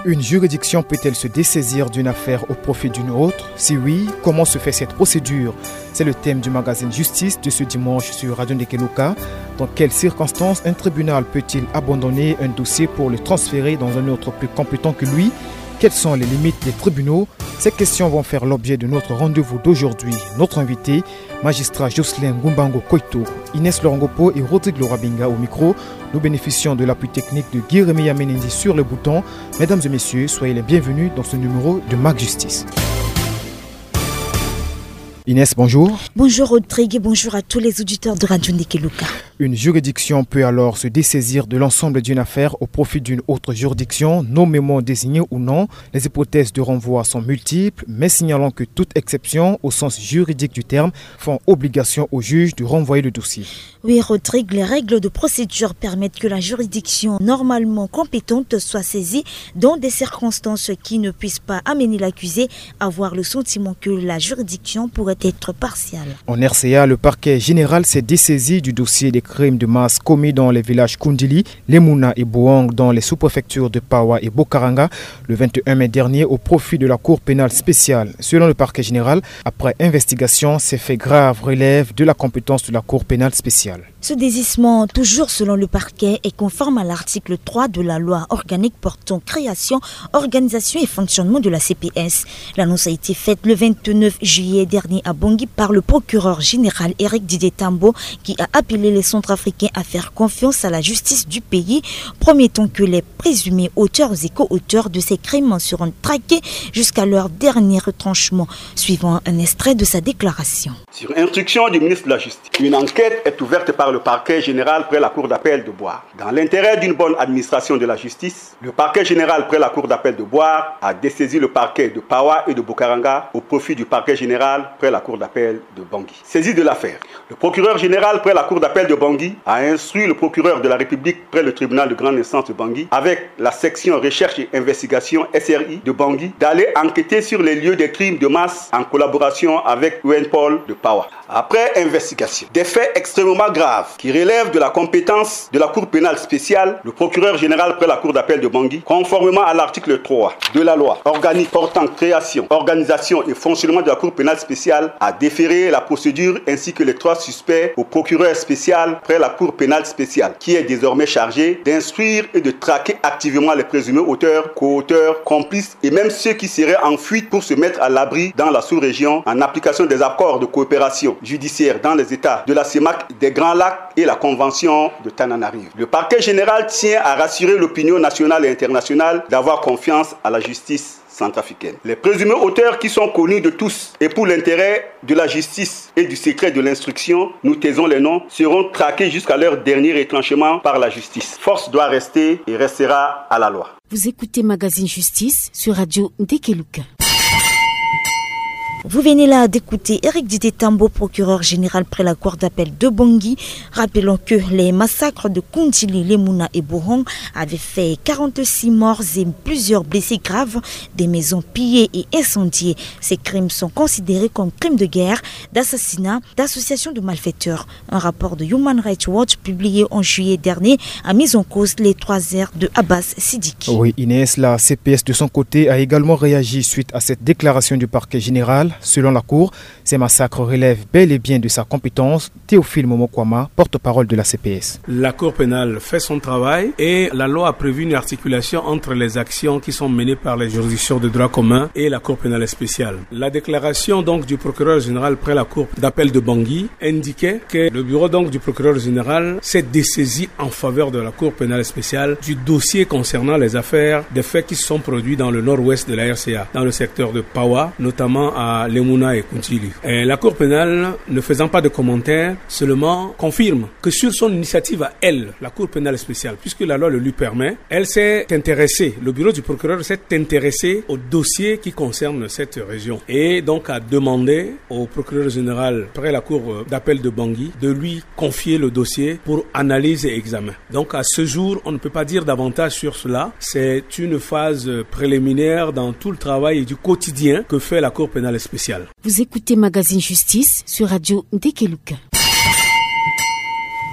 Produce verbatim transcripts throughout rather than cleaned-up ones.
Une juridiction peut-elle se dessaisir d'une affaire au profit d'une autre ? Si oui, comment se fait cette procédure ? C'est le thème du magazine Justice de ce dimanche sur Radio Ndekeluka. Dans quelles circonstances un tribunal peut-il abandonner un dossier pour le transférer dans un autre plus compétent que lui ? Quelles sont les limites des tribunaux ? Ces questions vont faire l'objet de notre rendez-vous d'aujourd'hui. Notre invité, magistrat Jocelyn Ngumbango Koito. Inès Lorangopo et Rodrigue Lorabinga au micro. Nous bénéficions de l'appui technique de Guy Rémy Yamenendi sur le bouton. Mesdames et messieurs, soyez les bienvenus dans ce numéro de Mag Justice. Inès, bonjour. Bonjour Rodrigue et bonjour à tous les auditeurs de Radio Ndekeluka. Une juridiction peut alors se dessaisir de l'ensemble d'une affaire au profit d'une autre juridiction, nommément désignée ou non. Les hypothèses de renvoi sont multiples, mais signalons que toute exception au sens juridique du terme font obligation au juge de renvoyer le dossier. Oui, Rodrigue, les règles de procédure permettent que la juridiction normalement compétente soit saisie dans des circonstances qui ne puissent pas amener l'accusé à avoir le sentiment que la juridiction pourrait être partiale. En R C A, le parquet général s'est dessaisi du dossier des crimes de masse commis dans les villages Kundili, Lemouna et Bohang, dans les sous-préfectures de Pawa et Bokaranga, le vingt et un mai dernier, au profit de la Cour pénale spéciale. Selon le parquet général, après investigation, ces faits graves relèvent de la compétence de la Cour pénale spéciale. Ce désistement, toujours selon le parquet, est conforme à l'article trois de la loi organique portant création, organisation et fonctionnement de la C P S. L'annonce a été faite le vingt-neuf juillet dernier à Bangui par le procureur général Éric Didier Tambo, qui a appelé les Centrafricains à faire confiance à la justice du pays, promettant que les présumés auteurs et co-auteurs de ces crimes seront traqués jusqu'à leur dernier retranchement, suivant un extrait de sa déclaration. Sur instruction du ministre de la Justice, une enquête est ouverte par le parquet général près la cour d'appel de Bouar. Dans l'intérêt d'une bonne administration de la justice, le parquet général près la cour d'appel de Bouar a dessaisi le parquet de Pawa et de Bokaranga au profit du parquet général près la cour d'appel de Bangui. Saisie de l'affaire, le procureur général près la cour d'appel de Bangui a instruit le procureur de la République près le tribunal de grande instance de Bangui, avec la section recherche et investigation, S R I, de Bangui, d'aller enquêter sur les lieux des crimes de masse en collaboration avec U N Pol de Pawa. Après investigation, des faits extrêmement graves qui relèvent de la compétence de la Cour pénale spéciale, le procureur général près la Cour d'appel de Bangui, conformément à l'article trois de la loi organique portant création, organisation et fonctionnement de la Cour pénale spéciale, a déféré la procédure ainsi que les trois suspects au procureur spécial près la Cour pénale spéciale, qui est désormais chargé d'instruire et de traquer activement les présumés auteurs, co-auteurs, complices et même ceux qui seraient en fuite pour se mettre à l'abri dans la sous-région en application des accords de coopération judiciaire dans les États de la C E M A C, des Grands Lacs et la Convention de Tananarive. Le parquet général tient à rassurer l'opinion nationale et internationale d'avoir confiance à la justice centrafricaine. Les présumés auteurs qui sont connus de tous et pour l'intérêt de la justice et du secret de l'instruction, nous taisons les noms, seront traqués jusqu'à leur dernier retranchement par la justice. Force doit rester et restera à la loi. Vous écoutez Magazine Justice sur Radio Ndekeluka. Vous venez là d'écouter Éric Didier Tambo, procureur général près la cour d'appel de Bangui. Rappelons que les massacres de Kundili, Lemouna et Bohang avaient fait quarante-six morts et plusieurs blessés graves, des maisons pillées et incendiées. Ces crimes sont considérés comme crimes de guerre, d'assassinat, d'association de malfaiteurs. Un rapport de Human Rights Watch publié en juillet dernier a mis en cause les trois R de Abbas Sidiki. Oui, Inès, la C P S de son côté a également réagi suite à cette déclaration du parquet général. Selon la Cour, ces massacres relèvent bel et bien de sa compétence. Théophile Momokwama, porte-parole de la C P S. La Cour pénale fait son travail et la loi a prévu une articulation entre les actions qui sont menées par les juridictions de droit commun et la Cour pénale spéciale. La déclaration donc du procureur général près la Cour d'appel de Bangui indiquait que le bureau donc du procureur général s'est dessaisi en faveur de la Cour pénale spéciale du dossier concernant les affaires des faits qui se sont produits dans le nord-ouest de la R C A, dans le secteur de Pawa, notamment à Lemouna et Kundili. Et la Cour pénale, ne faisant pas de commentaires, seulement confirme que sur son initiative à elle, la Cour pénale spéciale, puisque la loi le lui permet, elle s'est intéressée, le bureau du procureur s'est intéressé au dossier qui concerne cette région et donc a demandé au procureur général près la cour d'appel de Bangui de lui confier le dossier pour analyse et examen. Donc à ce jour, on ne peut pas dire davantage sur cela. C'est une phase préliminaire dans tout le travail du quotidien que fait la Cour pénale spéciale. Vous écoutez Magazine Justice sur Radio Ndekeluka.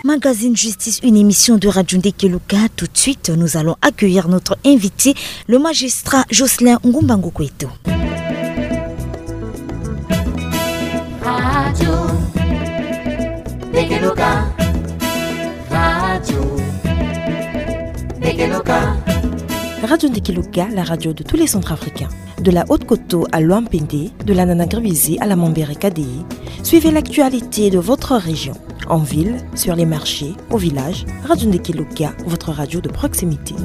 Magazine Justice, une émission de Radio Ndekeluka. Tout de suite, nous allons accueillir notre invité, le magistrat Jocelyn Ngumbango Koito. Radio Ndekeluka. Radio Ndekeluka. Radio Ndekeluka, la radio de tous les Centrafricains. De la Haute-Koto à Loampende, de la Nana-Gribizi à la Mambere Kadei, suivez l'actualité de votre région. En ville, sur les marchés, au village, Radio Ndekeluka, votre radio de proximité.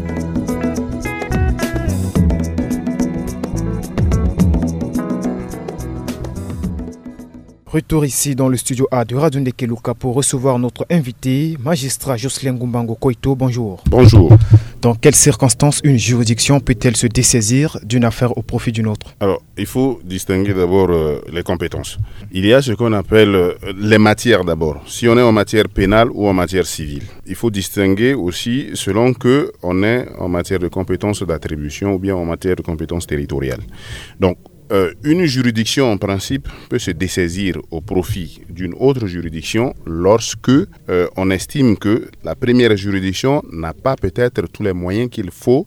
Retour ici dans le studio A de Radio Ndekeluka pour recevoir notre invité, magistrat Jocelyn Ngumbango Koito. Bonjour. Bonjour. Dans quelles circonstances une juridiction peut-elle se dessaisir d'une affaire au profit d'une autre ? Alors, il faut distinguer d'abord, euh, les compétences. Il y a ce qu'on appelle, euh, les matières d'abord. Si on est en matière pénale ou en matière civile, il faut distinguer aussi selon que on est en matière de compétences d'attribution ou bien en matière de compétences territoriales. Donc, euh, une juridiction, en principe, peut se dessaisir au profit d'une autre juridiction lorsque, euh, on estime que la première juridiction n'a pas peut-être tous les moyens qu'il faut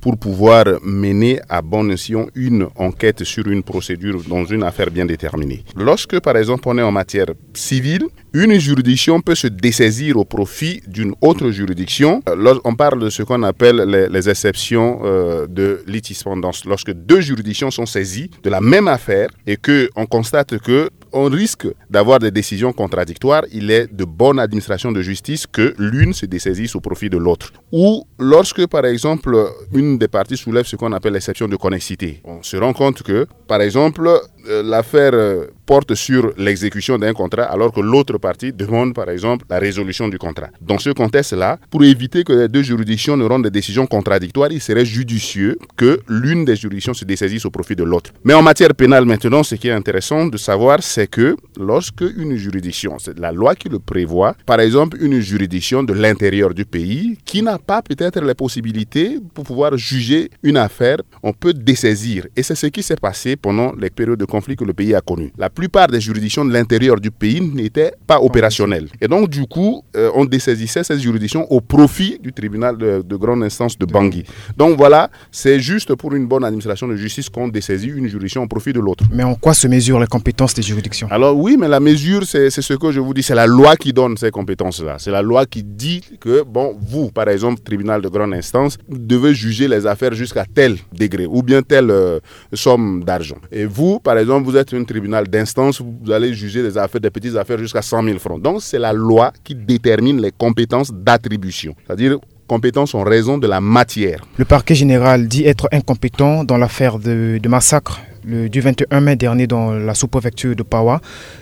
pour pouvoir mener à bon escient une enquête sur une procédure dans une affaire bien déterminée. Lorsque, par exemple, on est en matière civile, une juridiction peut se dessaisir au profit d'une autre juridiction. Euh, lors- on parle de ce qu'on appelle les, les exceptions, euh, de litispendance. Lorsque deux juridictions sont saisies de la même affaire et que on constate que on risque d'avoir des décisions contradictoires, il est de bonne administration de justice que l'une se dessaisisse au profit de l'autre. Ou lorsque, par exemple, une des parties soulève ce qu'on appelle l'exception de connexité, on se rend compte que, par exemple, euh, l'affaire, euh, porte sur l'exécution d'un contrat alors que l'autre partie demande, par exemple, la résolution du contrat. Dans ce contexte-là, pour éviter que les deux juridictions ne rendent des décisions contradictoires, il serait judicieux que l'une des juridictions se dessaisisse au profit de l'autre. Mais en matière pénale maintenant, ce qui est intéressant de savoir, c'est que lorsque une juridiction, c'est la loi qui le prévoit, par exemple une juridiction de l'intérieur du pays qui n'a pas peut-être les possibilités pour pouvoir juger une affaire, on peut dessaisir. Et c'est ce qui s'est passé pendant les périodes de conflit que le pays a connues. La plupart des juridictions de l'intérieur du pays n'étaient pas opérationnelles. Et donc, du coup, euh, on dessaisissait ces juridictions au profit du tribunal de, de grande instance de Bangui. Donc voilà, c'est juste pour une bonne administration de justice qu'on dessaisit une juridiction au profit de l'autre. Mais en quoi se mesurent les compétences des juridictions ? Alors oui, mais la mesure, c'est c'est ce que je vous dis, c'est la loi qui donne ces compétences-là. C'est la loi qui dit que, bon, vous, par exemple, tribunal de grande instance, devez juger les affaires jusqu'à tel degré ou bien telle, euh, somme d'argent. Et vous, par exemple, vous êtes un tribunal d'instance, vous allez juger des affaires, des petites affaires jusqu'à cent mille francs. Donc, c'est la loi qui détermine les compétences d'attribution. C'est-à-dire, compétences en raison de la matière. Le parquet général dit être incompétent dans l'affaire de, de massacre, le, du vingt et un mai dernier dans la sous-préfecture de Pawa.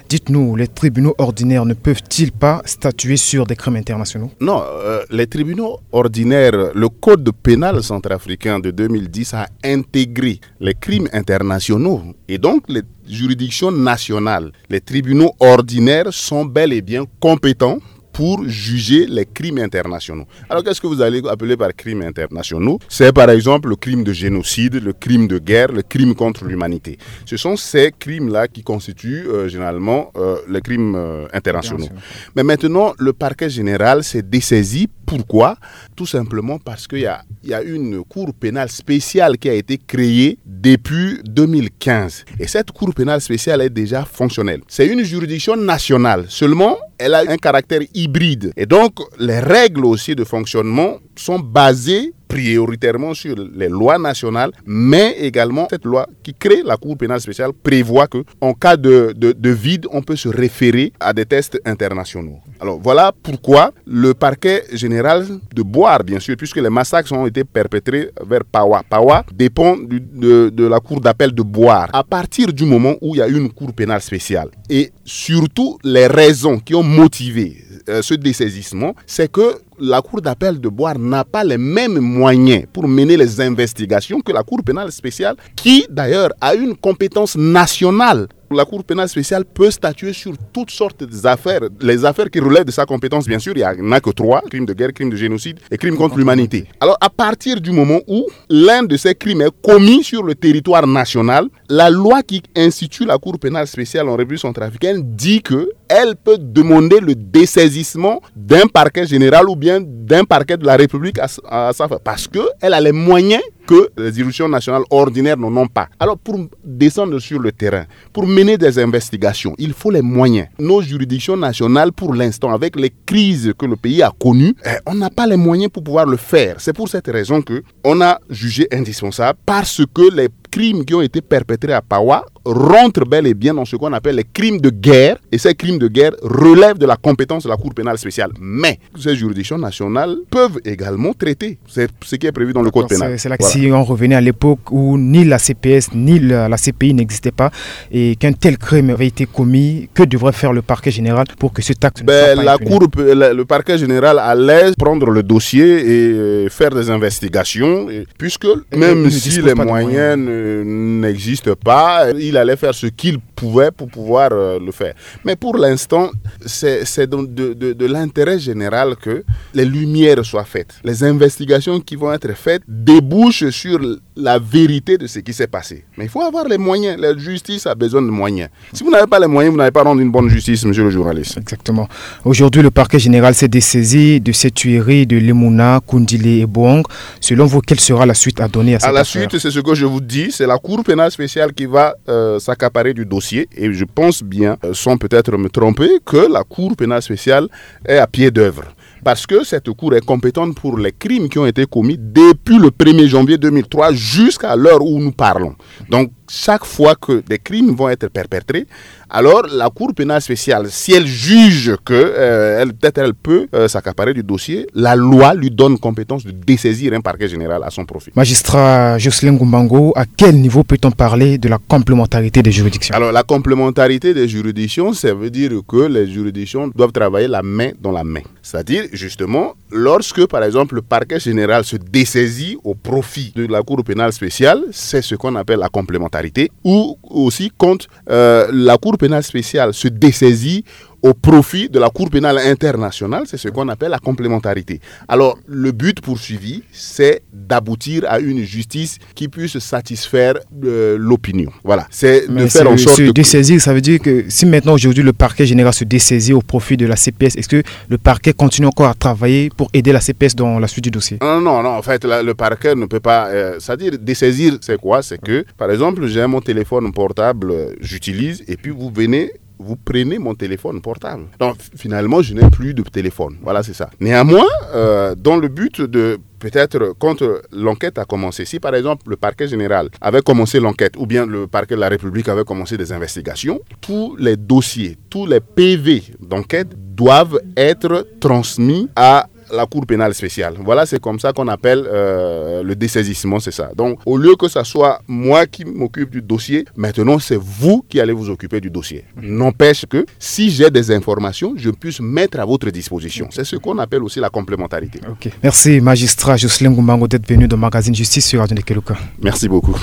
Dites-nous, les tribunaux ordinaires ne peuvent-ils pas statuer sur des crimes internationaux ? Non, euh, les tribunaux ordinaires, le code pénal centrafricain de deux mille dix a intégré les crimes internationaux. Et donc, les juridictions nationales, les tribunaux ordinaires sont bel et bien compétents pour juger les crimes internationaux. Alors, qu'est-ce que vous allez appeler par crimes internationaux ? C'est par exemple le crime de génocide, le crime de guerre, le crime contre l'humanité. Ce sont ces crimes-là qui constituent, euh, généralement, euh, les crimes, euh, internationaux. Mais maintenant, le parquet général s'est dessaisi. Pourquoi ? Tout simplement parce qu'il y a, il y a une cour pénale spéciale qui a été créée depuis deux mille quinze. Et cette cour pénale spéciale est déjà fonctionnelle. C'est une juridiction nationale. Seulement, elle a un caractère hybride. Et donc, les règles aussi de fonctionnement sont basées prioritairement sur les lois nationales, mais également cette loi qui crée la Cour pénale spéciale prévoit que, en cas de, de, de vide, on peut se référer à des tests internationaux. Alors voilà pourquoi le parquet général de Bouar, bien sûr, puisque les massacres ont été perpétrés vers Pawa. Pawa dépend du- de, de la cour d'appel de Bouar. À partir du moment où il y a une cour pénale spéciale, et surtout les raisons qui ont motivé, euh, ce dessaisissement, c'est que la cour d'appel de Bouar n'a pas les mêmes moyens pour mener les investigations que la cour pénale spéciale, qui d'ailleurs a une compétence nationale. La Cour pénale spéciale peut statuer sur toutes sortes d'affaires. Les affaires qui relèvent de sa compétence, bien sûr, il n'y en a que trois, crime de guerre, crime de génocide et crime contre l'humanité. Alors, à partir du moment où l'un de ces crimes est commis sur le territoire national, La loi qui institue la Cour pénale spéciale en République centrafricaine dit que elle peut demander le dessaisissement d'un parquet général ou bien d'un parquet de la République à, à sa, parce que elle a les moyens que les juridictions nationales ordinaires n'en ont pas. Alors, pour descendre sur le terrain, pour mener des investigations, il faut les moyens. Nos juridictions nationales, pour l'instant, avec les crises que le pays a connues, eh, on n'a pas les moyens pour pouvoir le faire. C'est pour cette raison que on a jugé indispensable, parce que les crimes qui ont été perpétrés à Pawa rentrent bel et bien dans ce qu'on appelle les crimes de guerre, et ces crimes de guerre relèvent de la compétence de la Cour pénale spéciale. Mais ces juridictions nationales peuvent également traiter. C'est ce qui est prévu dans le code pénal. C'est là que si on revenait à l'époque où ni la C P S ni la, la C P I n'existaient pas et qu'un tel crime avait été commis, que devrait faire le parquet général pour que cet acte ne soit pas puni ? La cour, le parquet général allait prendre le dossier et, euh, faire des investigations, et, puisque même si les moyens n'existent pas, il allait faire ce qu'il pouvait pour pouvoir, euh, le faire. Mais pour l'instant, c'est de, de, de l'intérêt général que les lumières soient faites. Les investigations qui vont être faites débouchent sur la vérité de ce qui s'est passé. Mais il faut avoir les moyens. La justice a besoin de moyens. Si vous n'avez pas les moyens, vous n'allez pas rendre une bonne justice, monsieur le journaliste. Exactement. Aujourd'hui, le parquet général s'est dessaisi de ces tueries de Lemuna, Kundile et Boang. Selon vous, quelle sera la suite à donner à cette affaire ? À la suite, c'est ce que je vous dis, c'est la Cour pénale spéciale qui va, euh, s'accaparer du dossier. Et je pense bien, euh, sans peut-être me tromper, que la Cour pénale spéciale est à pied d'œuvre. Parce que cette cour est compétente pour les crimes qui ont été commis depuis le premier janvier deux mille trois jusqu'à l'heure où nous parlons. Donc, chaque fois que des crimes vont être perpétrés, alors la Cour pénale spéciale, si elle juge que, euh, elle, peut-être elle peut, euh, s'accaparer du dossier, la loi lui donne compétence de dessaisir un parquet général à son profit. Magistrat Jocelyn Gumbango, à quel niveau peut-on parler de la complémentarité des juridictions ? Alors, la complémentarité des juridictions, ça veut dire que les juridictions doivent travailler la main dans la main. C'est-à-dire, justement, lorsque, par exemple, le parquet général se dessaisit au profit de la Cour pénale spéciale, c'est ce qu'on appelle la complémentarité, ou aussi quand, euh, la Cour pénale spéciale se dessaisit au profit de la Cour pénale internationale, c'est ce qu'on appelle la complémentarité. Alors, le but poursuivi, c'est d'aboutir à une justice qui puisse satisfaire, euh, l'opinion. Voilà, c'est de faire en sorte de se dessaisir, ça veut dire que si maintenant aujourd'hui le parquet général se dessaisit au profit de la C P S, est-ce que le parquet continue encore à travailler pour aider la C P S dans la suite du dossier ? Non, non, non, en fait, le parquet ne peut pas, euh, c'est-à-dire dessaisir, c'est quoi ? C'est que, par exemple, j'ai mon téléphone portable, euh, j'utilise, et puis vous venez, vous prenez mon téléphone portable. Donc, finalement, je n'ai plus de téléphone. Voilà, c'est ça. Néanmoins, euh, dans le but de, peut-être, quand, euh, l'enquête a commencé, si par exemple le parquet général avait commencé l'enquête, ou bien le parquet de la République avait commencé des investigations, tous les dossiers, tous les P V d'enquête doivent être transmis à la Cour pénale spéciale. Voilà, c'est comme ça qu'on appelle, euh, le dessaisissement, c'est ça. Donc, au lieu que ça soit moi qui m'occupe du dossier, maintenant c'est vous qui allez vous occuper du dossier. N'empêche que si j'ai des informations, je puisse mettre à votre disposition. C'est ce qu'on appelle aussi la complémentarité. Ok. Merci, magistrat Jocelyn Gumbango, d'être venu dans Magazine Justice sur Radio Ndekeluka. Merci beaucoup.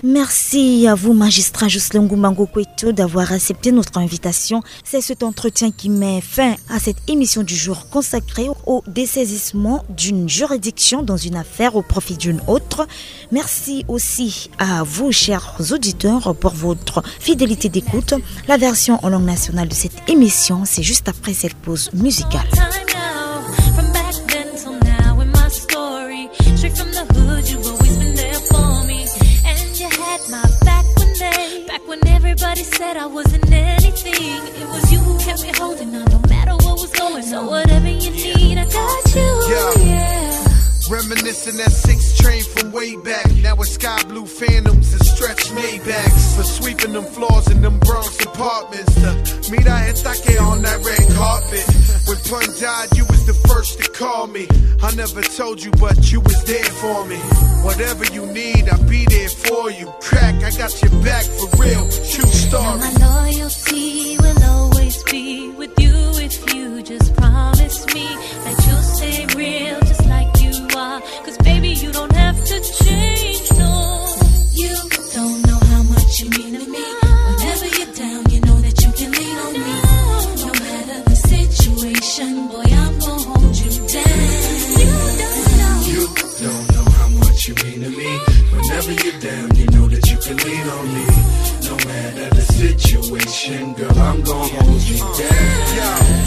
Merci à vous, magistrat Jocelyn Gumbango Kweto, d'avoir accepté notre invitation. C'est cet entretien qui met fin à cette émission du jour consacrée au dessaisissement d'une juridiction dans une affaire au profit d'une autre. Merci aussi à vous, chers auditeurs, pour votre fidélité d'écoute. La version en langue nationale de cette émission, c'est juste après cette pause musicale. Straight from the hood, you've always been there for me. And you had my back when they, back when everybody said I wasn't anything. It was you who kept me holding on, no matter what was going on. So whatever you need, I got you, yeah. Reminiscing that six train from way back. Now it's sky blue phantoms and stretch Maybachs. For sweeping them floors in them Bronx apartments. To meet I had on that red carpet. When Pun died, you was the first to call me. I never told you, but you was there for me. Whatever you need, I'll be there for you. Crack, I got your back for real. True story. Now my loyalty will always be with you if you just promise me that you'll stay real just like you are. 'Cause baby, you don't have to change, no. You don't know how much you mean to me. Whenever you're down, you know that you can lean on me. No matter the situation, boy, I'm gonna hold you down. You don't know. You don't know how much you mean to me. Whenever you're down, No matter the situation, girl, I'm gonna hold you down.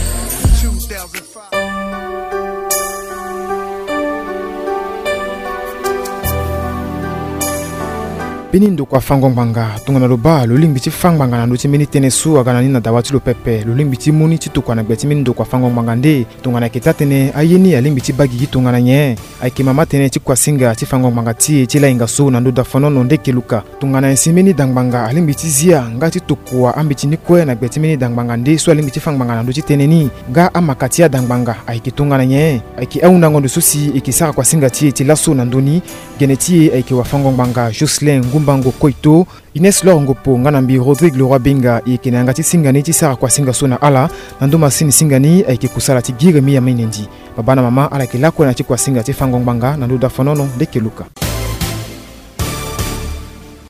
Mbeni ndokua fango ngbanga, tongana lo baa lo lingbi ti fa ngbanga na ndö ti mbeni tënë so aga na ni na dawa ti lo pepe, lo lingbi ti mu ni ti tokua na gbe ti mbeni ndokua fango ngbanga nde? Tongana ayeke taa-tënë, aye ni alingbi ti baa gigi tongana nyen? Ayeke mama tënë ti kuasinga ti fango ngbanga ti e ti lahinga so na ndö dafonono nde yeke luka. Tongana nyen si mbeni da ngbanga alingbi ti zia nga ti tokua ambeti ni kue na gbe ti mbeni da ngbanga nde so alingbi ti fa ngbanga na ndö ti tënë ni? Nga amaka ti ada ngbanga ayeke tongana nyen? Ayeke ahundango ndo so si e yeke sara kuasinga ti e ti laso na ndö ni. Gene ti e ayeke wafango ngbanga Jocelyn Ngumbango Koito, Ines Lor Ngopo nga na mbi Rodrigue Leroy Benga. E yeke na yanga ti singa ni ti sara kuasinga so na ala. Na ndö masini singa ni ayeke kusala ti Giremi Yamainendi. Baba na mama, ala yeke lakue na ya ti kuasinga ti fango ngbanga na ndö dafonono nde yeke luka.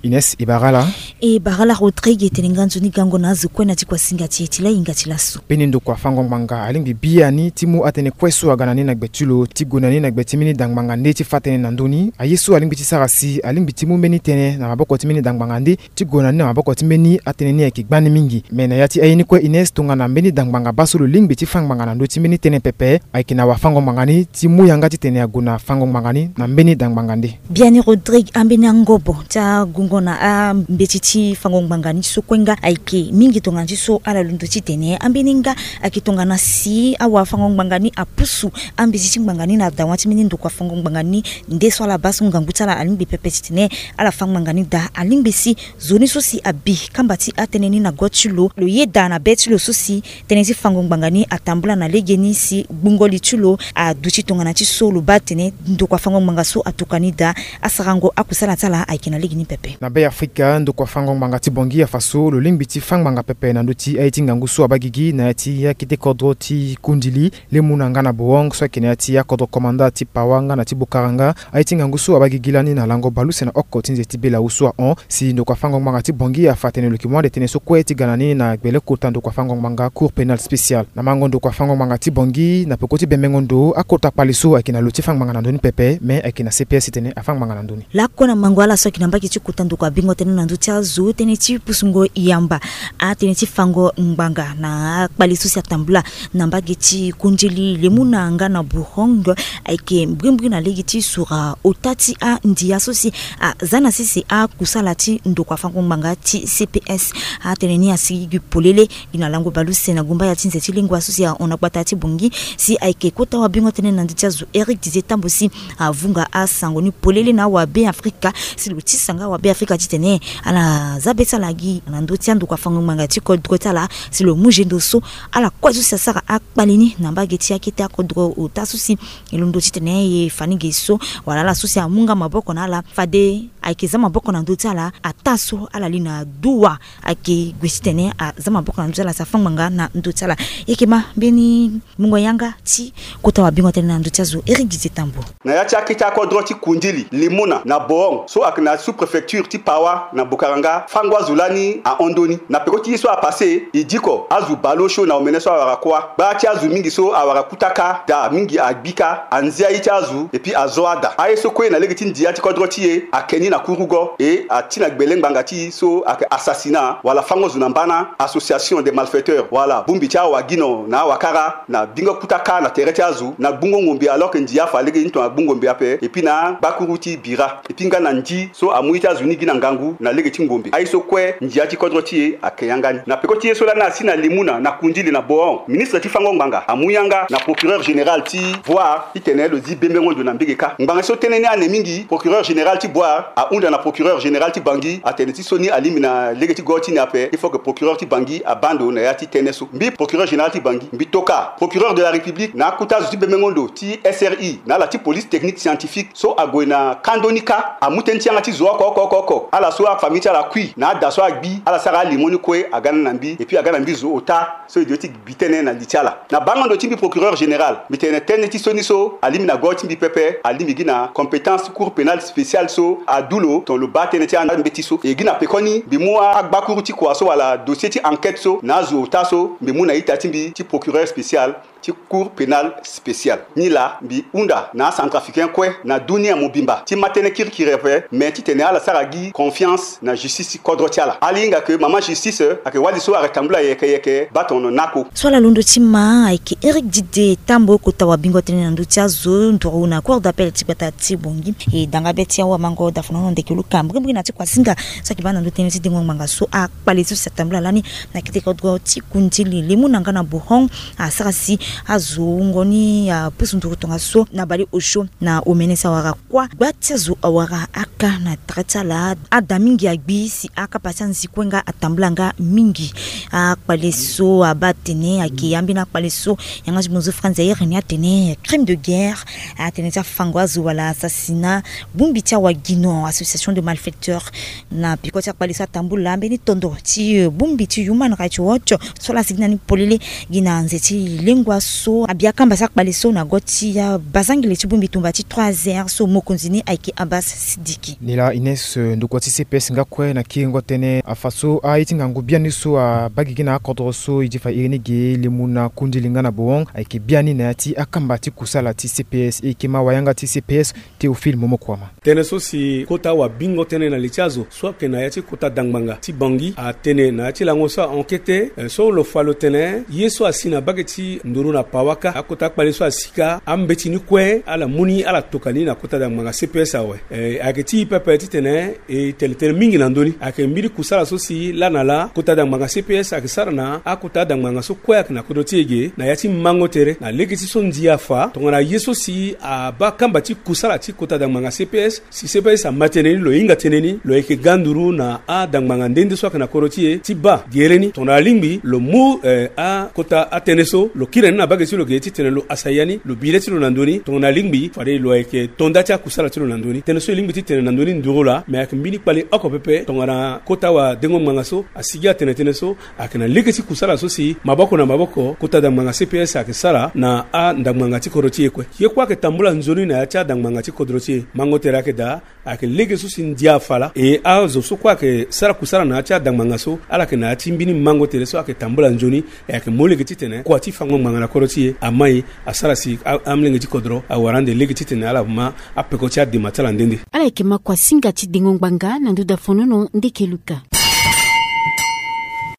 Ines, e bara ala. E bara ala Rodrigue, e tene nga nzoni gango na azo kue na ya ti kuasinga ti e ti lahinga ti laso. Mbeni ndokua fango ngbanga alingbi biani ti mu atënë kue so aga na ni na gbe ti lo ti gue na ni na gbe ti mbeni da ngbanga nde ti fa tënë na ndö ni. Aye so alingbi ti sara si alingbi ti mu mbeni tënë na maboko ti mbeni da ngbanga nde ti gue na ni na maboko ti mbeni atënë ni ayeke gbani mingi. Me na ya ti aye ni kue Ines, tongana mbeni da ngbanga baa so lo lingbi ti fa ngbanga na ndö ti mbeni tënë pepe, ayeke na wafango ngbanga ni ti mu yanga titene ague na fango ngbanga ni na mbeni da ngbanga nde. Biani Rodrigue, ambeni angobo ti agungo na ambeti ti fango ngbanga ni so kue nga ayeke mingi tongana ti so ala londo titene ambeni nga ayeke tongana si awafango ngbanga ni apusu ambeti ti ngbanga ni na dawa ti mbeni ndokua fango ngbanga ni. Nde so ala baa so ngangu ti ala alingbi pepe titene ala fa ngbanga ni daa, alingbi si nzoni so si abi kamba ti atënë ni na go ti lo, lo yeda na be ti lo so si tënë ti fango ngbanga ni atambula na legeni si gbungo li ti lo aduti tongana ti so lo baa tene ndokua fango ngbanga so atuka ni daa, asarango akusala ti ala ayeke na legeni pepe. Na Be Afrika, ndokua fango ngbanga ti Bangui afa so lo lingbi ti fa ngbanga pepe na ndö ti aye ti ngangu so abaa gigi na ya ti akete kodro ti Kundili, Lemuna nga na Bohong so ayeke na ya ti akodro komanda ti Pawa nga na ti Bokaranga. Aye ti ngangu so abaa gigi lani na lango bale use na oko ti nze ti Belawu so ahon. Si ndokua fango ngbanga ti Bangui afa tene lo yeke mu ande tënë so kue ti ga na ni na gbele kota ndokua fango ngbanga Cour Pénale Spéciale. Na mango ndokua fango ngbanga ti Bangui, na peko ti bembengo ndo, akota kpale so ayeke na lo ti fa ngbanga na ndö ni pepe, me ayeke na C P S titene afa ngbanga na ndö ni. Lakue na mango ala so ayeke na mbage ti kota ndokua bingo tënë na ndö ti azo, tënë ti pusungo yamba atënë ti fango ngbanga na akpale so si atambula na mbage ti Kundili, Lemuna nga na Bohong ayeke mbrimbri na lege ti sura ota ti andia so si aza na sese akusala ti ndokua fango ngbanga ti C P S. Atënë ni asigi gi polele gi na lango bale use na gumbaya ti nze ti lengua so si ahon na gbata ti Bangui, si ayeke kota wabingo tënë na ndö ti azo Eric Didier Tambo si avunga asango ni polele na awabe Afrika, si lo tisa nga awabe Afrika titene ala za be ti ala gi na ndö ti andokua fango ngbanga ti kodro ti ala, si lo mu zendo so ala kue so si asara akpale ni na mbage ti akete akodro ota so si e londo titene e fa ni ge so, wala ala so si amu nga maboko na ala, fade ayeke za maboko na ndö ti ala, ataa so ala li na duwa. Ayeke gue titene aza maboko na ndö ti ala si afa ngbanga na ndö ti ala. E yeke ma mbeni mungo yanga ti kota wabingo tënë na ndö ti azo Eric Didier Tambo. Na ya ti akete akodro ti Kundili, Lemuna na Bohong so ayeke na sous-préfecture ti Pawa na Bokaranga, fango azo lani ahon ndoni. Na peko ti ye so apasse, e diko azo bale osio na omene so awara kuâ. Gbaa ti azo mingi so awara kutaka, daa mingi agbi kâ, anzia ye ti azo, et puis azo ada. Aye so kue na lege ti ndia ti kodro ti e ake ni na kurugo, e ati na gbele ngbanga ti e so ayeke assassinat, wala fango zo na mbana, association des malfaiteurs, wala bongbi ti awagino na awakara, na bingo kutaka na tere ti azo, na gbungo ngombe alors que ndia afa lege ni tongana gbungo ngombe ape, et puis na gbakuru ti bira, et puis nga na ndi so amu ye ti azo ni gi na ngangu na lege ti ngombe. Aye so kue ndia ti kodro ti e ake yanga ni. Na peko ti ye so lani asi na Lemuna na Kundili na Bohong, ministre ti fango ngbanga amu yanga na procureur général ti voir titene lo zi bembengo ndo na mbege kâ. Ngbanga so tënë ni ane mingi, procureur général ti Bouar ahunda na procureur général ti Bangui atene ti so ni alingbi na lege ti go ti ni ape, il faut que procureur ti Bangui abaa ndo na ya ti tënë so. Mbi procureur général ti Bangui, mbi toka procureur de la République na akota zo ti bembengo ndo ti S R I na ala ti police technique scientifique so ague na kando ni kâ, amu tënë ti yanga ti zo oko oko oko oko, ala so afamille ti ala akui na ada so agbi, ala sara alimo ni kue aga na mbi, et puis aga na mbi zo ota so e doit ti gbi tënë na li ti ala. Na bango ndo ti mbi procureur général, mbi tene tënë ti so ni so alingbi na go ti mbi pepe, alingbi gi na compétence ti Cour pénale spéciale so adu lo tongana lo baa tënë ti ambeti so. E gi na pekoni mbi mu agbakuru ti kua so wala dossier ti enquête so na azo ota so mbi mu na ita ti mbi ti procureur spécial. ti Cour pénale spéciale. Ni laa mbi hunda na acentrafricain kue na dunia mobimba ti ma tënë kirikiri ape, me titene ala sara gi confiance na justice ti kodro ti ala. Ala hinga ke mama justice ayeke wali so ayeke tambula yeke yeke baa tono na ako. So ala londo ti ma ayeke Éric Didé Tambo, kota wabingo tënë na ndö ti azo nduru na Cour d'appel ti gbata ti Bangui. E danga be ti awamango dafonono ndeke luka mbrimbri na ti kuasinga so ayeke baa na ndö tënë ti dengo ngbanga so akpale so si atambula lani na kete kodro ti Kundili lemu na nga na Bohong, asara si azo wungo ni apusu nduru tongaso na bale osio na omene si awara kuâ. Gba ti azo awara aka na tere ti ala. Ada mingi agbi si akapa ti anzi kue nga atambula nga mingi. Akpale so abaa atene ayeke ambeni akpale so yanga ti bonzo Franz Zaïre ni atene crime de guerre, atene ti afango azo wala assassinat, bongbi ti awagino, association de malfaiteurs. Na peko ti akpale so atambula mbeni tondo ti, eh, bongbi ti Human Rights Watch so laa asigi na ni polele gi na nze ti lengua so abi akamba ti akpale so na go ti abazangele ti bongbi tumba ti trois R so mokonzi ni ayeke Abbas Sidiki. Ni laa Ines, eh, ndokua ti C P S nga kue na kiringo tënë afa so aye ti ngangu biani so abaa gigi na akodro so e di fa iri ni ge lemu na Kundili nga na Bohong ayeke biani na ya ti akamba ti kusala ti C P S. E yeke ma wayanga ti C P S Théophile Momokuama. Tënë so si kota wabingo tënë na li ti azo so ayeke na ya ti kota dangbanga ti Bangui atene na ya ti lango so a-enquête, eh, so lo fa lo tene ye so asi na bage ti nduru na Pawaka, akota akpale so asi kâ, ambeti ni kue ala mu ni ala toka ni na kota dangbanga C P S awe. Eh, ayeke ti e pepe titene e tene tënë mingi na ndö ni. Ayeke mbeni kusala so si laa na laa kota dangbanga C P S ayeke sara na akota dangbanga so kue ayeke na kodro ti e ge na ya ti mango tere na lege ti so ndia afa tongana ye so si abaa kamba ti kusala ti kota dangbanga C P S. Si C P S ama tënë ni, lo hinga tënë ni, lo yeke ga nduru na adangbanga nde nde so ayeke na kodro ti e ti baa gere ni tongana alingbi lo mu, eh, akota atënë so lo kiri ni na bage ti lo ge titene lo hasa ya ni, lo bi le ti lo na ndö ni. Tongana alingbi fade lo yeke to nda ti akusala ti lo na ndö ni. Tënë so e lingbi ti tene na ndö ni nduru laa, me ayeke mbeni kpale oko pepe tongana kota wadengo ngbanga so asigi atene tënë so ayeke na lege ti kusala so si maboko na maboko kota dangbanga C P S ayeke sara na andangbanga ti kodro ti e kue. Ye kue ayeke tambula nzoni na ya ti adangbanga ti kodro ti e. Mango tere ayeke daa, ayeke lege so si ndia afa laa. E azo so kue ayeke sara kusala na ya ti adangbanga so, ala yeke na ya ti mbeni mango tere so ayeke tambula nzoni. E ayeke mu lege titene kua ti fango ngbanga na kodro ti e amai asara si a, amolenge ti kodro awara ande lege titene ala ma apeko ti adema ti ala nde nde. Ala yeke ma kuasinga ti dengo ngbanga na ndö dafonono ndeke luka.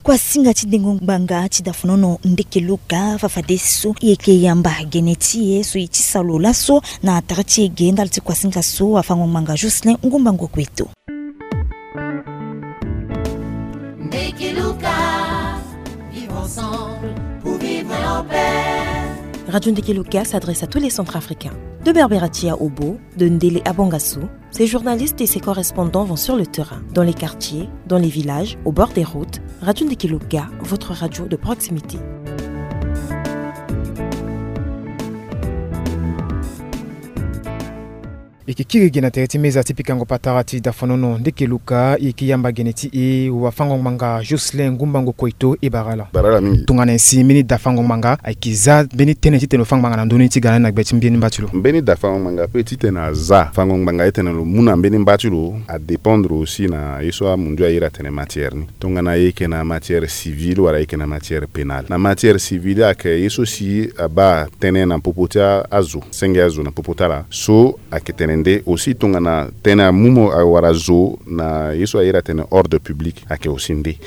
Kuasinga ti dengo ngbanga ti dafonono ndeke luka fafadeso e yeke yamba gene ti e so e ti sa lo laso na tere ti e ge ndali ti kuasinga so afango ngbanga Jocelyn Ngumba Ngokueto. Ndeke luka, vivre ensemble pour vivre en paix. Radio Ndeke Luka s'adresse à tous les Centrafricains. De Berberatia au Bo, de Ndele à Bangassou, ses journalistes et ses correspondants vont sur le terrain, dans les quartiers, dans les villages, au bord des routes. Radio Ndeke Luka, votre radio de proximité. E yeke kiri ge na tere ti meza ti pikango patara ti dafonono ndeke luka, e yeke yamba gene ti e wafango ngbanga Jocelyn Ngumba Ngokueto e bara ala. Bara ala mingi. Tongana nyen si mbeni dafango ngbanga ayeke za mbeni tënë titene lo fa ngbanga na ndö ni ti ga na ni na gbe ti mbeni mba ti lo? Mbeni dafango ngbanga ape titene aza fango ngbanga titene lo mu na mbeni mba ti lo adépendre aussi na ye so amundu ayere atene matière ni. Tongana e yeke na matière civile wala e yeke na matière pénale. Na matière civile ayeke ye so si abaa tënë na popo ti azo, senge azo na popo ti ala so ayeke tene nde. Aussi tongana tënë amu mo wala zo na ye so ayere atene ordre public ayeke aussi nde.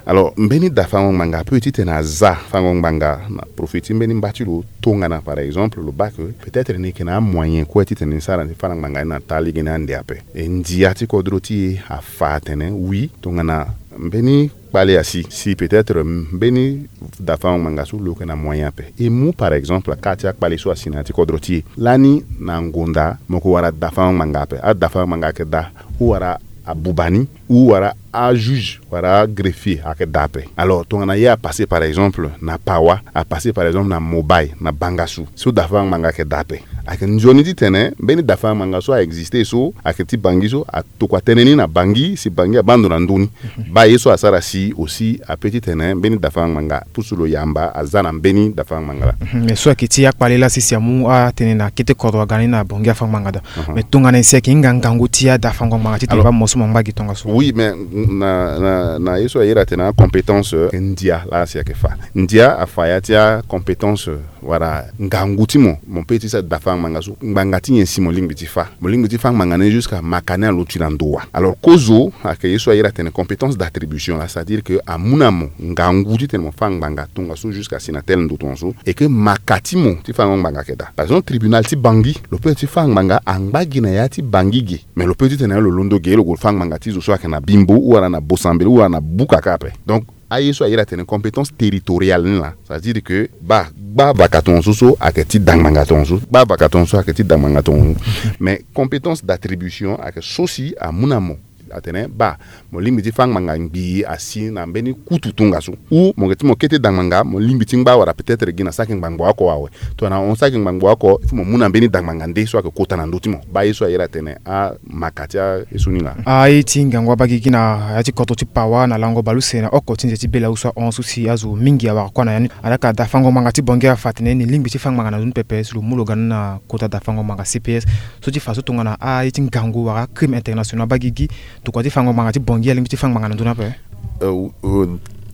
Alors mbeni dafango ngbanga ape titene aza fango ngbanga na profit ti mbeni mba ti lo. Tongana par exemple lo baa ke peut-être ni yeke na amoyen kue titene ni sara ni fa na ngbanga ni na taa lege ni ande ape. E ndia ti kodro ti e afa atene oui, tongana mbeni kpale asi, si peut-être mbeni dafango ngbanga so lo yeke na moyen ape, e mu par exemple aka ti akpale so asi na ya ti kodro ti e lani na ngonda, mo yeke wara dafango ngbanga ape. Adafango ngbanga ayeke daa, ou wara abuba ni, ou wara ajuge wala agreffier ayeke daa ape. Alors tongana ye apasser par exemple na Pawa, apasser par exemple na Mobaye, na Bangassou, so dafango ngbanga ayeke daa ape. Ayeke nzoni titene mbeni dafango ngbanga so a existe so ayeke ti Bangui so atokua tënë ni na Bangui si Bangui abaa ndo na ndö ni. Baa ye so asara si aussi ape titene mbeni dafango ngbanga pusu lo yamba aza na mbeni dafango ngbanga laa. Mhm. Me so ayeke ti akpale laa si si amu atënë na kete kodro aga ni na Bangui afango ngbanga daa. Mhm. Me tongana nyen si ayeke hinga ngangu ti adafango ngbanga titene baa mo so mo ngba gi tongaso? Oui, mais na, na, na ye so ayere atene acompétence, euh, ndia laa si ayeke fa. Ndia afa ya ti acompétence, euh, wala ngangu ti mo, mo pe ti sara dafango ngbanga so, ngbanga ti nyen si mo lingbi ti fa? Mo lingbi ti fa ngbanga ni jusqu'à maka ni aluti na ndo wa? Alors kozo ayeke ye so ayere atene compétence d'attribution laa, c'est-à-dire que amu na mo ngangu titene mo fa ngbanga tongaso jusqu'à si na tel ndo tongaso, et que maka ti mo ti fango ngbanga ayeke daa. Par exemple tribunal ti Bangui, lo pe ti fa ngbanga angba gi na ya ti Bangui ge. Mais lo pe titene lo londo ge lo gue lo fa ngbanga ti zo so ayeke na Bimbo ou wala na Bosambela ou wala na Buka kâ ape. Donc aye so ayere atene compétence territoriale ni laa, c'est-à-dire que baa gba vaka tongaso so ayeke ti da ngbanga tongaso, gba vaka tongaso ayeke ti da ngbanga tongaso. Mais compétence d'attribution ayeke so si amu na mo atene baa mo lingbi ti fa ngbanga ngbii asi na mbeni kutu tongaso, ou mo yeke ti mo kete da ngbanga mo lingbi ti ngba wala peut-être gi na saki ngbangbo oko awe. Tongana ahon saki ngbangbo oko, il faut mo mu na mbeni da ngbanga nde so ayeke kota na ndö ti mo. Baa ye so ayere atene amaka ti aye so ni laa. Aye ti ngangu abaa gigi na ya ti kodro ti Pawa na lango baleuse na oko ti nze ti Bela-Osso ahon so si azo mingi awara kua na ya ni. Alaka dafango ngbanga ti Bangui afa atene ni lingbi ti fa ngbanga na ndö ni pepe si lo mu lo ga ni na kota dafango ngbanga C P S. So ti fa so tongana aye ti ngangu wala acrime international abaa gigi, tokua ti fango ngbanga ti Bangui alingbi ti fa ngbanga na ndö ni ape? Euh, euh,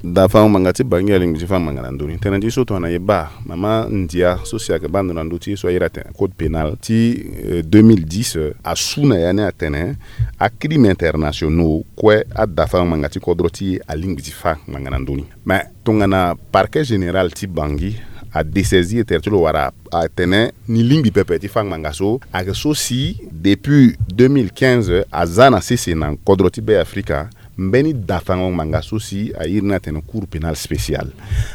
dafango ngbanga ti Bangui alingbi ti fa ngbanga na ndö ni. Tënë ti so tongana e baa mama ndia so si ayeke baa ndo na ndö ti ye so ayere atene code pénal ti, euh, deux mille dix, euh, asu na ya ni atene acrime internationaux kue adafango ngbanga ti kodro ti e alingbi ti fa ngbanga na ndö ni. Mais tongana parquet général ti Bangui adessaisi e tere ti lo wala atene ni lingbi pepe ti fa ngbanga so, ayeke so si depuis deux mille quinze aza na sese na kodro ti Be Afrika mbeni dafango ngbanga so si airi ni atene Cour pénale spéciale.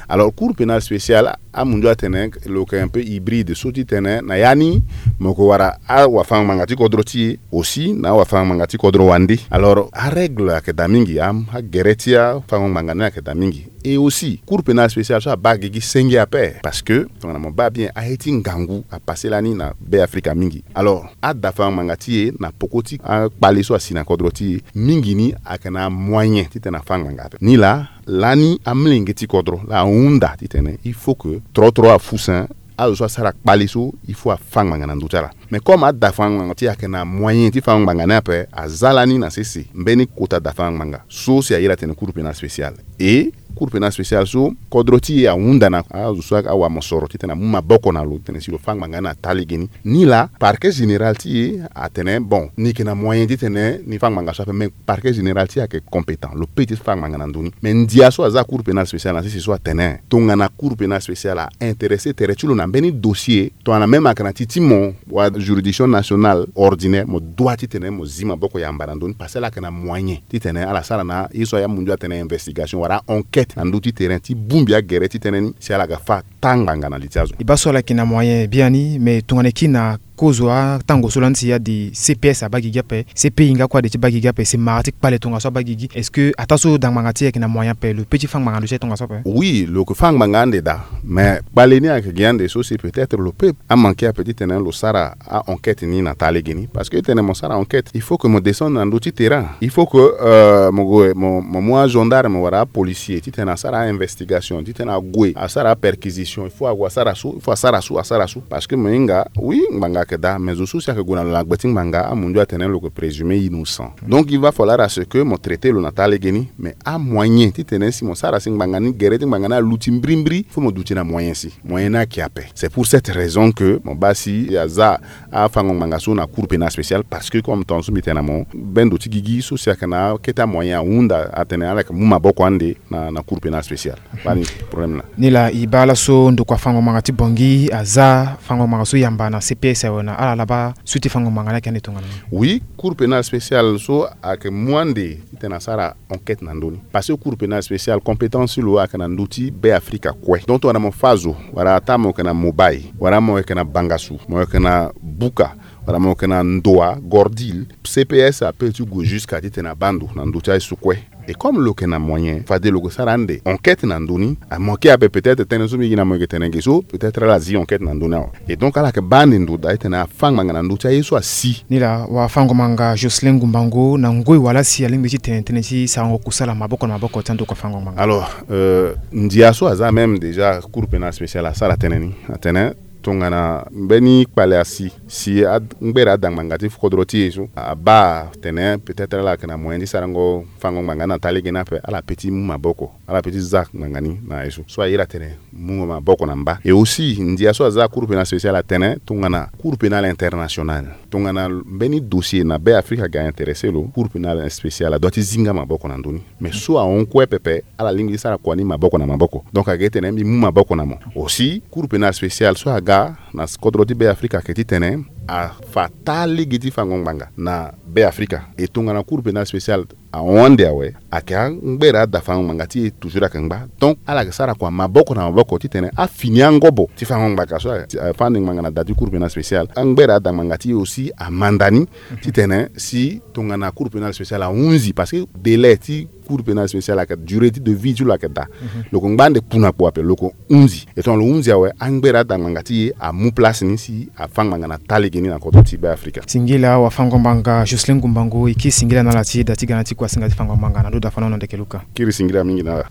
Alors Cour pénale spéciale amunzu atene lo yeke un peu hybride so ti tene na ya ni mo yeke wara awafango ngbanga ti kodro ti e aussi na awafango ngbanga ti kodro wande. Alors arègle ayeke daa mingi, a, agere ti afango ngbanga ni ayeke daa mingi. Et aussi Cour pénale spéciale so abaa gigi senge ape, parce que tongana mo baa bien aye ti ngangu apasse lani na Be Afrika mingi. Alors adafango ngbanga ti e na poko ti akpale so asi na kodro ti e mingi ni ayeke na amoyen titene afa ngbanga ape. Ni laa lani amolenge ti kodro laa ahunda titene il faut que tro tro afusen azo so asara kpale so il faut afa ngbanga na ndö ti ala. Mais comme adafango ngbanga ti e ayeke na moyen ti fango ngbanga ni ape, aza lani na sese mbeni kota dafango ngbanga so si airi atene Cour pénale spéciale. Et Cour pénale spéciale so kodro ti e ahunda na azo so awamosoro titene amu maboko na lo titene si lo fa ngbanga ni na taa lege ni. Ni laa parquet général ti e atene bon, ni yeke na moyen titene ni fa ngbanga so ape, mais parquet général ti e ayeke compétent, lo pe ti fa ngbanga na ndö ni. Mais ndia so aza Cour pénale spéciale na sese so atene tongana Cour pénale spéciale aintéressé tere ti lo na mbeni dossier, tongana même ayeke na ti ti mo wa juridiction nationale ordinaire, mo doit titene mo zi maboko yamba na ndö ni, parce que ala yeke na moyen titene ala sara na ye so amunzu atene investigation wala enquête na ndö ti terrain ti bongbi agere ti tënë ni si ala ga fa taa ngbanga na li ti azo. E baa so ala yeke na moyen biani, mais tongana e kiri na kozo atango so lani si ade C P S abaa gigi ape, C P I nga kue ade ti baa gigi ape, si mara ti kpale tongaso abaa gigi, est-ce que ataa so da ngbanga ti e ayeke na moyen ape, lo pe ti fa ngbanga na ndö ti e tongaso ape? Oui, lo yeke fa ngbanga ande daa, mais kpale ni ayeke gi ande so si peut-être lo pe amanke ape titene lo sara a-enquête ni na taa lege ni, parce que titene mo sara enquête il faut que mo descendre na ndö ti terrain, il faut que, euh, mo gue mo, mo mu agendarme wala apolicier titene asara a-investigation, titene ague asara aperquisition, il faut ague asara so, il faut asara so, asara so, parce que mo hinga oui ngbanga ayeke daa, mais zo so si ayeke gue na lo na gbe ti ngbanga amunzu atene lo yeke présumé innocent. Donc il va falloir à ce que mo traité lo na taa lege ni. Mais amoyen titene si mo sara si ngbanga ni, gere ti ngbanga ni aluti mbirimbiri, faut mo duti na moyen si moyen ni ayeke ape. C'est pour cette raison que mo baa si aza afango ngbanga so na Cour pénale spéciale, parce que comme tongaso mbi tene na mo, mbeni ndo ti gigi so si ayeke na akete amoyen ahunda atene ala yeke mu maboko ande na, na Cour pénale spéciale. Baa ni problème laa. Ni laa e baa laso ndokua fango ngbanga ti Bangui aza fango ngbanga so yamba na C P S awe, na ala laa baa suite fango ngbanga ni ayeke ande tongana nyen? Oui, Cour pénale spéciale so ayeke mu ande titene asara enquête na ndö ni. Parce que Cour pénale spéciale compétence ti lo ayeke na ndö ti Be Afrika kue. Donc tongana mo fâ zo, wala ataa mo yeke na Mobay, wala mo yeke na Bangassou, mo yeke na Buka, Ala mo yeke na ndoa gordil, C P S ape ti gue jusqu'à titene abaa ndo na ndö ti aye so kue. Et comme lo yeke na moyen, fade lo yeke sara ande enquête na ndö ni. Amanke ape peut-être tënë so mbi gi na mo yeke tene ge so, peut-être ala zi enquête na ndö ni awe. Et donc ala yeke baa ande ndo daa titene afâ ngbanga na ndö ti aye so asi. Ni laa wafango-ngbanga Jocelyn Ngumbango na ngoi wala si alingbi ti tene tënë ti sarango kusala maboko na maboko ti andokua fango-ngbanga. Alors, euh, ndia so aza même déjà Cour pénale spéciale asara tënë ni, atene tongana mbeni kpale asi, si a ngbere ada ngbanga ti kodro ti e so abaa tene peut-être ala yeke na moyen ti sarango fango ngbanga ni na taa lege ni ape, ala pe ti mu maboko, ala pe ti za ngbanga ni na ye so. So aye ala tene mu maboko na mba. Et aussi ndia so aza Cour pénale spéciale atene tongana Cour pénale internationale, tongana mbeni dossier na Be Afrika aga intéressé lo, Cour pénale spéciale adoit ti zi nga maboko na ndö ni. Mais so ahon kue pepe, ala lingbi ti sara kua ni maboko na maboko. Donc ayeke tene mbi mu maboko na mo. Aussi Cour pénale spéciale so aga na kodro ti Be Afrika ayeke titene afa taa lege ti fango ngbanga na Be Afrika. E tongana Cour pénale spéciale ahon ande awe, ayeke angbere ada fango ngbanga ti e toujours ayeke ngba. Donc ala yeke sara kua maboko na maboko titene afini angobo ti fango ngbanga so afa ande ngbanga na da ti Cour pénale spéciale, angbere ada ngbanga ti e aussi amanda ni titene si tongana Cour pénale spéciale ahunzi, parce que délai ti Cour pénale spéciale ayeke durée ti de vie ti lo ayeke daa. Lo yeke ngba ande kpu na kpo ape, lo yeke hunzi. E tongana lo hunzi awe, angbere ada ngbanga ti e amu place ni si afa ngbanga na taa lege ni na kodro ti Be Afrika. Singila wafango ngbanga Jocelyn Ngumbango, e kiri singila na ala ti e da ti ga na ti kuasinga ti fango ngbanga na ndo dafanono ndeke luka. Kiri singila mingi na ala.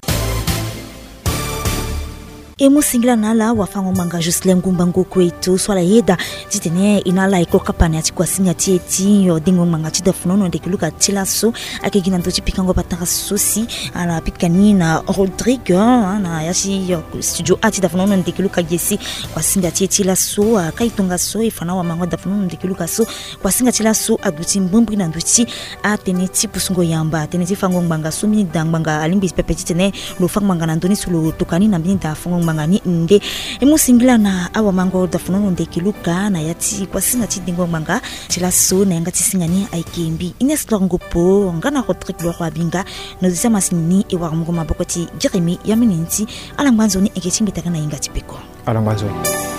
E mu singila na ala wafango ngbanga Jocelyn Ngumbango kue e to so ala yeda titene e na ala e ko kapa na ya ti kuasinga ti e ti dengo ngbanga ti dafanono ndeke luka ti laso. Ayeke gi na ndö ti pikango patara so si ala pika ni na Rodrigue, ah, na ya ti studio A ti dafanono ndeke luka gi si kuasinga ti e ti laso. Ah, ka e tongaso e fa na wamango dafanono ndeke luka so. Kuasinga ti laso aduti mbrimbri na ndö ti atënë ti pusungo yamba, tënë ti fango ngbanga so mbeni da ngbanga alingbi pepe titene lo fa ngbanga na ndö ni so lo toka ni na mbeni da fango ngbanga ni nde. E mu singila na awamango dafanono ndeke luka na ya ti kuasinga ti dengo ngbanga ti laso na yanga ti singa ni ayeke mbi Ines Lor Ngopo nga na Rodrigue Loro Abinga. Na zi ti amasini ni e wara mungo maboko ti Jérémie Yamini ti ala ngba nzoni eke ti mbi taka na yinga ti peko. Ala ngba nzoni.